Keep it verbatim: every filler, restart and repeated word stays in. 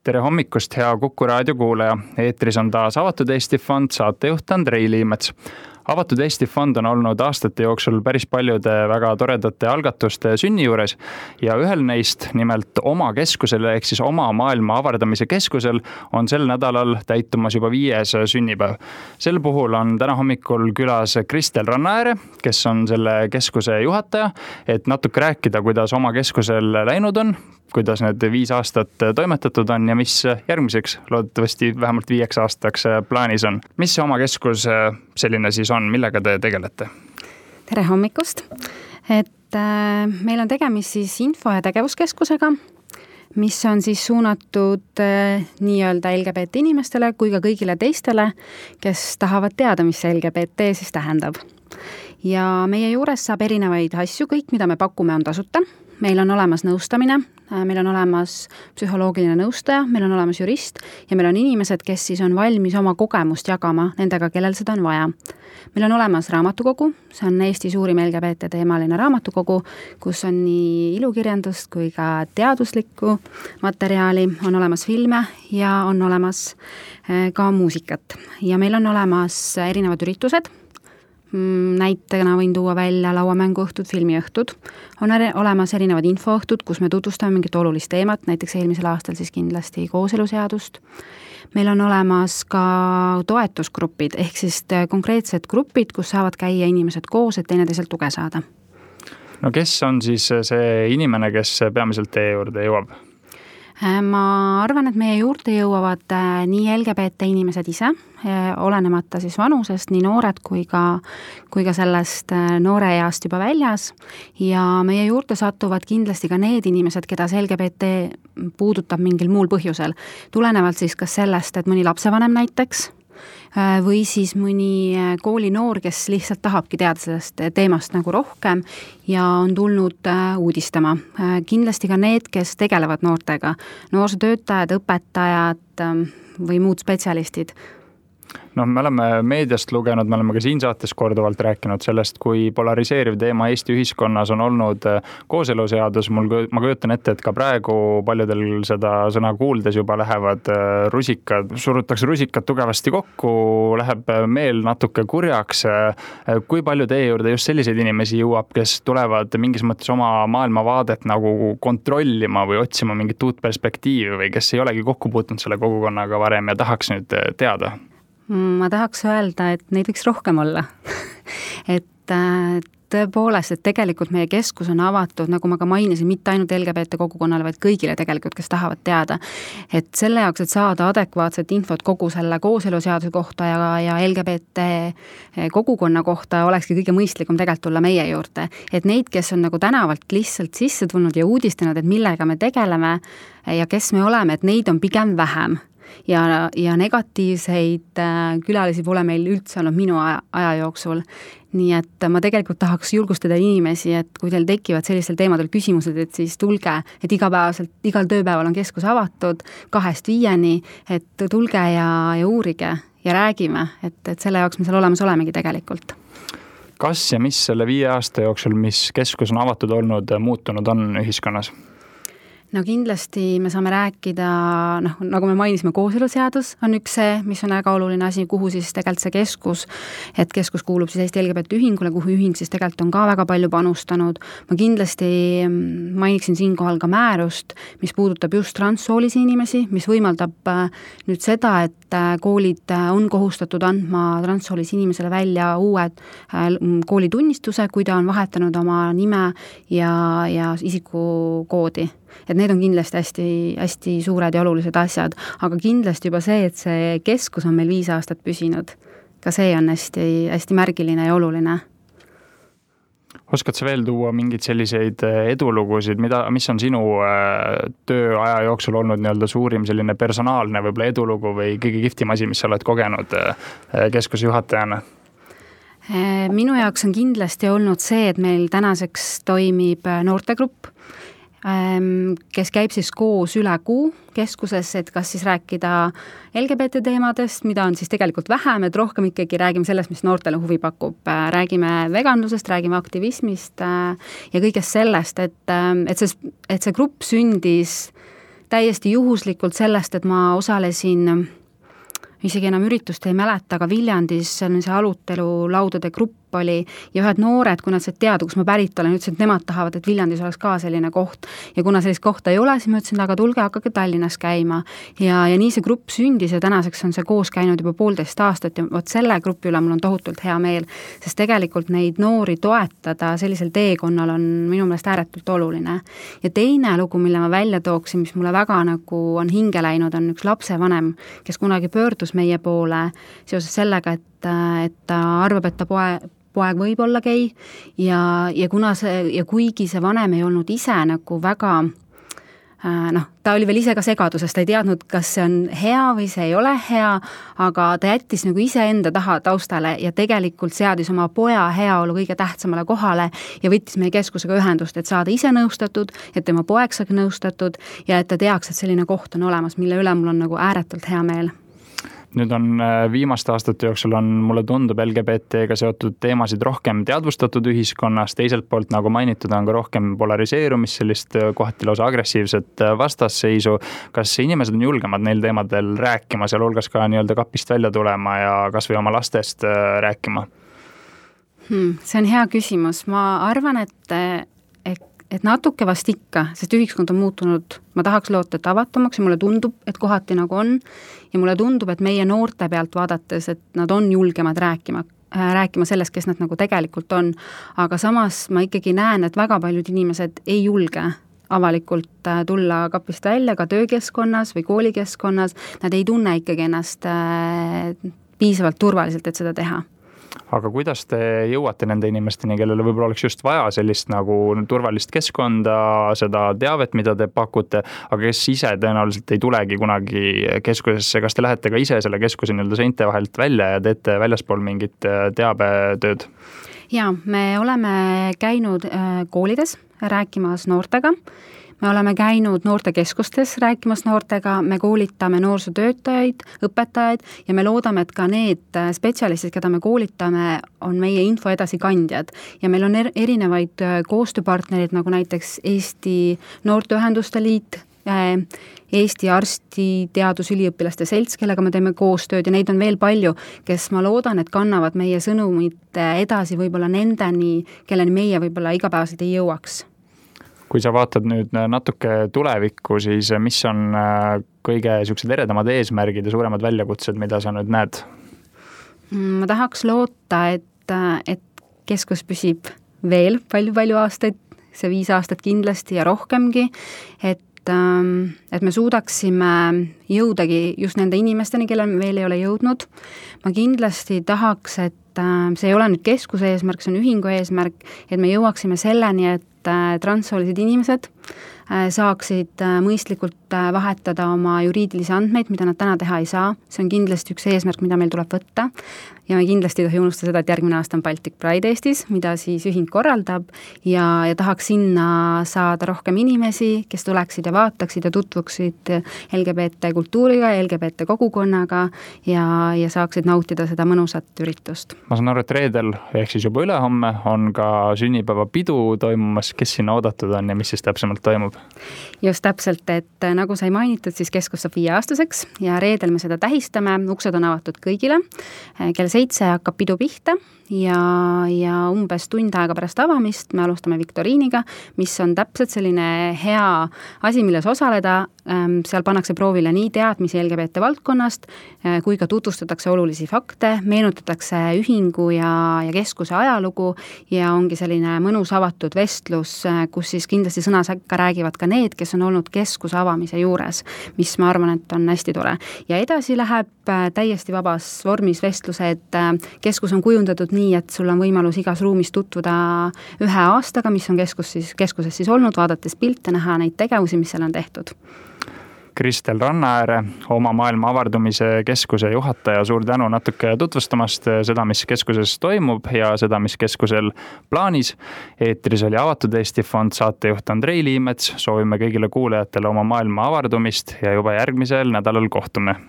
Tere hommikust, hea Kuku raadio kuulaja. Eetris on taas Avatud Eesti Fond, saatejuht Andrei Liimets. Avatud Eesti Fond on olnud aastate jooksul päris paljude väga toredate algatuste sünni juures ja ühel neist, nimelt oma keskusel ehk siis oma maailma avardamise keskusel, on sel nädalal täitumas juba viies sünnipäev. Sel puhul on täna hommikul külas Kristel Rannaääre, kes on selle keskuse juhataja, et natuke rääkida, kuidas oma keskusel läinud on, kuidas need viis aastat toimetatud on ja mis järgmiseks loodetavasti vähemalt viieks aastaks plaanis on. Mis see oma keskus selline siis on, millega te tegelete? Tere hommikust! Et äh, meil on tegemist siis info- ja tegevuskeskusega, mis on siis suunatud äh, nii-öelda L G B T inimestele kui ka kõigile teistele, kes tahavad teada, mis see L G B T siis tähendab. Ja meie juures saab erinevaid asju, kõik, mida me pakume, on tasuta. Meil on olemas nõustamine, meil on olemas psühholoogiline nõustaja, meil on olemas jurist ja meil on inimesed, kes siis on valmis oma kogemust jagama nendega, kellel seda on vaja. Meil on olemas raamatukogu, see on Eesti suurim L G B T teemaline raamatukogu, kus on nii ilukirjandust kui ka teaduslikku materjali, on olemas filme ja on olemas ka muusikat. Ja meil on olemas erinevad üritused, näitena võin tuua välja lauamänguõhtud, filmiõhtud. On olemas erinevad infoõhtud, kus me tutvustame mingit olulist teemat, näiteks eelmisel aastal siis kindlasti kooseluseadust. Meil on olemas ka toetusgrupid, ehk siis konkreetsed grupid, kus saavad käia inimesed koos, et teineteiselt tuge saada. No kes on siis see inimene, kes peamiselt teie juurde jõuab? Ma arvan, et meie juurde jõuavad nii L G B T inimesed ise, olenemata siis vanusest, nii noored kui ka, kui ka sellest noore east juba väljas. Ja meie juurde satuvad kindlasti ka need inimesed, keda see L G B T puudutab mingil muul põhjusel. Tulenevalt siis kas sellest, et mõni lapsevanem näiteks, või siis mõni koolinoor, kes lihtsalt tahabki teada sellest teemast nagu rohkem ja on tulnud uudistama. Kindlasti ka need, kes tegelevad noortega, noorsootöötajad, õpetajad või muud spetsialistid. No, me oleme meediast lugenud, me oleme ka siin saates korduvalt rääkinud sellest, kui polariseeriv teema Eesti ühiskonnas on olnud kooseluseadus. Mul, ma kujutan ette, et ka praegu paljudel seda sõna kuuldes juba lähevad rusikad, surutakse rusikad tugevasti kokku, läheb meel natuke kurjaks. Kui palju teie juurde just selliseid inimesi jõuab, kes tulevad mingis mõttes oma maailmavaadet nagu kontrollima või otsima mingit uut perspektiivi või kes ei olegi kokku puutunud selle kogukonnaga varem ja tahaks nüüd teada? Ma tahaks öelda, et neid võiks rohkem olla. et tõepoolest, et tegelikult meie keskus on avatud, nagu ma ka mainisin, mitte ainult L G B T kogukonnale, vaid kõigile tegelikult, kes tahavad teada. Et selle jaoks, et saada adekvaatset infot kogu selle kooseluseaduse kohta ja, ja L G B T kogukonna kohta olekski kõige mõistlikum tegelikult tulla meie juurde. Et neid, kes on nagu tänavalt lihtsalt sisse tulnud ja uudistanud, et millega me tegeleme ja kes me oleme, et neid on pigem vähem. Ja, ja negatiivseid külalisi pole meil üldse olnud minu aja, aja jooksul. Nii et ma tegelikult tahaks julgustada inimesi, et kui teil tekivad sellistel teemadel küsimused, et siis tulge, et igapäevaselt, igal tööpäeval on keskus avatud kahest viieni, et tulge ja, ja uurige ja räägime, et, et selle jaoks me seal olemas olemegi tegelikult. Kas ja mis selle viie aasta jooksul, mis keskus on avatud olnud, muutunud on ühiskonnas? No kindlasti me saame rääkida, noh, nagu me mainisime, kooseluseadus on üks see, mis on väga oluline asi, kuhu siis tegelikult see keskus, et keskus kuulub siis Eesti L G B T ühingule, kuhu ühing siis tegelikult on ka väga palju panustanud. Ma kindlasti mainiksin siinkohal ka määrust, mis puudutab just transsoolisi inimesi, mis võimaldab nüüd seda, et koolid on kohustatud andma transsoolisi inimesele välja uued koolitunnistuse, kui ta on vahetanud oma nime ja, ja isikukoodi. Et need on kindlasti hästi, hästi suured ja olulised asjad, aga kindlasti juba see, et see keskus on meil viis aastat püsinud, ka see on hästi, hästi märgiline ja oluline. Oskad sa veel tuua mingeid selliseid edulugusid, mida, mis on sinu tööaja jooksul olnud nii-öelda suurim selline personaalne võib-olla edulugu või kõige kihvtim asi, mis sa oled kogenud keskuse juhatajana? Minu jaoks on kindlasti olnud see, et meil tänaseks toimib noortegrupp, kes käib siis koos üle kuu keskuses, et kas siis rääkida L G B T teemadest, mida on siis tegelikult vähem, et rohkem ikkagi räägime sellest, mis noortele huvi pakub. Räägime veganlusest, räägime aktivismist ja kõigest sellest, et, et, see, et see grupp sündis täiesti juhuslikult sellest, et ma osalesin, isegi enam üritust ei mäleta, aga Viljandis see arutelu laudade grupp oli ja ühed noored, kui nad said teada, kus ma pärit olen, ütlesid, et nemad tahavad, et Viljandis oleks ka selline koht. Ja kuna sellist kohta ei ole, siis ma ütlesin, aga tulge, hakake Tallinnas käima. Ja, ja nii see grupp sündis ja tänaseks on see koos käinud juba poolteist aastat ja võt selle grupi üle mul on tohutult hea meel, sest tegelikult neid noori toetada sellisel teekonnal on minu meelest ääretult oluline. Ja teine lugu, mille ma välja tooksin, mis mulle väga nagu on hinge läinud, on üks lapsevanem, kes kunagi pöördus meie poole seoses sellega, et, et ta arvab, et ta poe poeg võib olla gei ja, ja, kuna see, ja kuigi see vanem ei olnud ise nagu väga, noh, ta oli veel ise ka segadusest, ta ei teadnud, kas see on hea või see ei ole hea, aga ta jättis nagu ise enda taha taustale ja tegelikult seadis oma poja heaolu kõige tähtsamale kohale ja võttis meie keskusega ühendust, et saada ise nõustatud, et tema poeg saaks nõustatud ja et ta teaks, et selline koht on olemas, mille üle mul on nagu ääretult hea meel. Nüüd on viimaste aastate jooksul on, mulle tundub, L G B T-ga seotud teemasid rohkem teadvustatud ühiskonnas, teiselt poolt, nagu mainitud, on ka rohkem polariseerumist, sellist kohati lausa agressiivset vastasseisu. Kas inimesed on julgemad neil teemadel rääkima, seal hulgas ka nii-öelda kapist välja tulema ja kas või oma lastest rääkima? Hmm, see on hea küsimus. Ma arvan, et et natuke vast ikka, sest ühiskond on muutunud, ma tahaks loota, et avatumaks ja mulle tundub, et kohati nagu on ja mulle tundub, et meie noorte pealt vaadates, et nad on julgemad rääkima, rääkima sellest, kes nad nagu tegelikult on, aga samas ma ikkagi näen, et väga paljud inimesed ei julge avalikult tulla kapist välja ka töökeskkonnas või koolikeskkonnas, nad ei tunne ikkagi ennast piisavalt turvaliselt, et seda teha. Aga kuidas te jõuate nende inimesteni, kellele võib-olla oleks just vaja sellist nagu turvalist keskkonda, seda teavet, mida te pakute, aga kes ise tõenäoliselt ei tulegi kunagi keskusesse, kas te lähete ka ise selle keskuse nii-öelda seinte vahelt välja ja teete väljaspool mingit teabetööd? Jaa, me oleme käinud koolides rääkimas noortega, me oleme käinud noortekeskustes rääkimas noortega, me koolitame noorsootöötajaid, õpetajaid ja me loodame, et ka need spetsialistid, keda me koolitame, on meie info edasikandjad. Ja meil on erinevaid koostööpartnerid, nagu näiteks Eesti Noorteühenduste Liit, Eesti Arstiteadusüliõpilaste selts, kellega me teeme koostööd ja neid on veel palju, kes ma loodan, et kannavad meie sõnumit edasi võib-olla nendeni, kelleni meie võib-olla igapäevaselt ei jõuaks. Kui sa vaatad nüüd natuke tulevikku, siis mis on kõige sellised eredamad eesmärgid ja suuremad väljakutsed, mida sa nüüd näed? Ma tahaks loota, et, et keskus püsib veel palju-palju aastaid, see viis aastat kindlasti ja rohkemgi, et et me suudaksime jõudagi just nende inimesteni, kellel veel ei ole jõudnud. Ma kindlasti tahaks, et see ei ole nüüd keskuse eesmärk, see on ühingu eesmärk, et me jõuaksime selleni, et transsoolised inimesed saaksid mõistlikult vahetada oma juriidilisi andmeid, mida nad täna teha ei saa. See on kindlasti üks eesmärk, mida meil tuleb võtta. Ja me kindlasti ei tohi unustada seda, et järgmine aasta on Baltic Pride Eestis, mida siis ühing korraldab ja, ja tahaks sinna saada rohkem inimesi, kes tuleksid ja vaataksid ja tutvuksid L G B T kultuuriga, L G B T kogukonnaga ja, ja saaksid nautida seda mõnusat üritust. Ma saan aru, et reedel, ehk siis juba ülehomme, on ka sünnipäeva pidu toimumas. Kes sinna oodatud on ja mis siis täpsemalt toimub? Just täpselt, et nagu sai mainitud, siis keskus saab viieaastaseks ja reedel me seda tähistame, uksed on avatud kõigile, kell seitse hakkab pidu pihta ja, ja umbes tund aega pärast avamist me alustame viktoriiniga, mis on täpselt selline hea asi, milles osaleda, seal pannakse proovile nii teadmisi L G B T valdkonnast, kui ka tutvustatakse olulisi fakte, meenutatakse ühingu ja, ja keskuse ajalugu ja ongi selline mõnus avatud vestlus, kus siis kindlasti sõnasäkka räägivad ka need, kes on olnud keskuse avamise juures, mis ma arvan, et on hästi tore. Ja edasi läheb täiesti vabas vormis vestluse, et keskus on kujundatud nii, et sul on võimalus igas ruumis tutvuda ühe aastaga, mis on keskus siis, keskuses siis olnud, vaadates pilte, näha neid tegevusi, mis seal on tehtud. Kristel Rannaääre, oma maailma avardumise keskuse juhataja, suur tänu natuke tutvustamast seda, mis keskuses toimub ja seda, mis keskusel plaanis. Eetris oli Avatud Eesti Fond, saatejuht Andrei Liimets, soovime kõigile kuulajatele oma maailma avardumist ja juba järgmisel nädalal kohtume.